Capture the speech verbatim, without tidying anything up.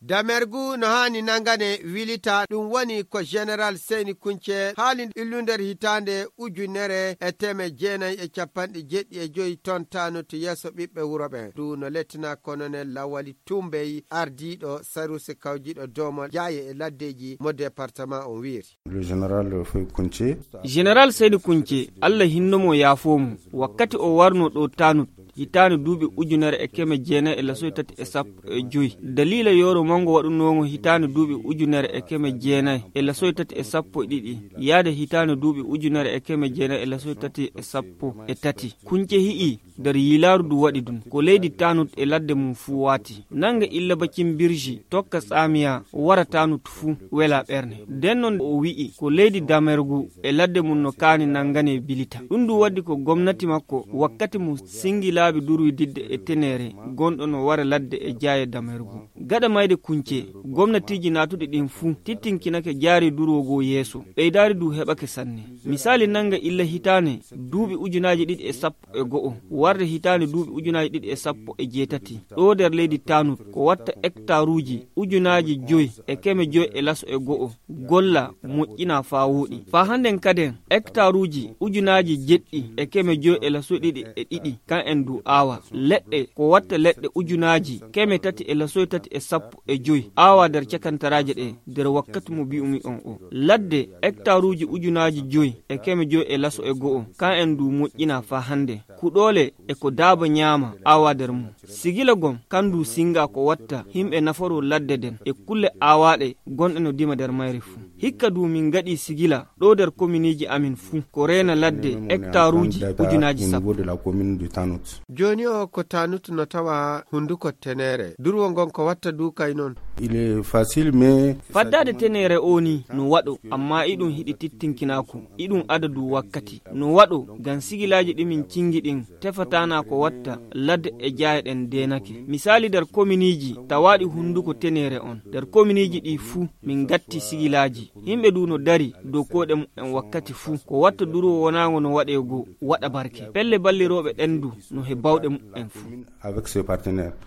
Damergu no haani nangane wilita, ɗum woni ko Général Seyni Kunce haali illu nder hitaande ujunere e teme jeenayi e capanɗe jeeɗiɗi e joyi ton tanu to yeeso ɓiɓɓe wuro ɓen. Ɗum no lettina Colonel Lawali Tumbey, ardiiɗo saruse kawjiiɗo doomol jaaye e laddeeji mo département on wiiri. Le général Foy Kunce. Général Seyni Kunce, Allah hinno mo yaafoo mo, wakkati o warno ɗo Tanut, hitaande duuɓi ujunere e keme jeenayi e lasoy tati e sappo e joy. Daliila yooro mango waɗunooŋo hitaande duuɓi ujunere e keme jeenayi e lasoy tati e sappo e ɗiɗi, yaade hitaande duuɓi ujunere e keme jeenayi e lasoy tati e sappo e tati. Kunce hi'i, nder yiilaaru du waɗi ɗum, ko leydi Tanut e ladde mum fuu waati. Nanga illa bakin birji, tokka Tsamiya, wara Tanut fuu, wela ɓerne. Nden non o wi'i, ko leydi Damergu e ladde mum no kaani nangane bilita. Ɗum du waddi ko gomnati makko wakkati mum singi laabi duruy didde e tenere, gonɗo no wara ladde e jaaye Damergu. Gaɗa mayde Kunce, gomnatiiji naatuɗi ɗin fuu tittinkinake jaari durwo goo yeeso, ɓeydaari du heɓake sanne. Misaali nanga illa hitaane, duuɓi ujunaaji ɗiɗi e sappo e go'o, warde hitaande duuɓi ujunaaji ɗiɗi e sappo e jeetati, ɗo nder leydi Tanut, ko watta hektaruuji ujunaaji joy e keme joy e laso e go'o, golla moƴƴina faa wooɗi. Faa hannden kaden, hektaruuji ujunaaji jeɗɗi e keme joy e laso ɗiɗi e ɗiɗi, kan en du aawa. Leɗɗe, ko watta leɗɗe ujunaaji keme tati e laso tati e sappo e joy, aawa nder cakantaraaje ɗe, nder wakkati mo bi'umi on o. Ladde, hektaruuji ujunaaji joy e keme joy e laso e go'o, kan en du moƴƴina faa hannde. Kuɗoole e ko daaba ñaama aawa nder mum. Sigila gom, kan du singa ko watta himɓe nafaroo ladde den e kulle aawaaɗe gonɗe no dima nder mayre fuu. Hikka du min gaɗi sigila ɗo nder kominiiji amin fuu ko reena ladde hektaruuji ujunaaji sappo. Jooni o ko Tanut no tawa hunduko tenere. Durwo ngon ko watta du kay non. Il est facile, mais faddaade tenere o ni no waɗo, amma iɗum hiɗi tittinkinaaku, iɗum adadu wakkati. No waɗo, ngam sigilaaji ɗi min cingi ɗin tefataana ko watta ladde e jaaye ɗen deenake. Misaali nder kominiiji tawaaɗi hunduko tenere on. Nder kominiiji ɗi fuu min gatti sigilaaji. Yimɓe du no dari dow koɗe mumen wakkati fuu. Ko watta durwo wonaango no waɗe goo, waɗa barke. Pelle ballirooɓe ɗen du no he bawɗe mumen fuu. Avec ses partenaires.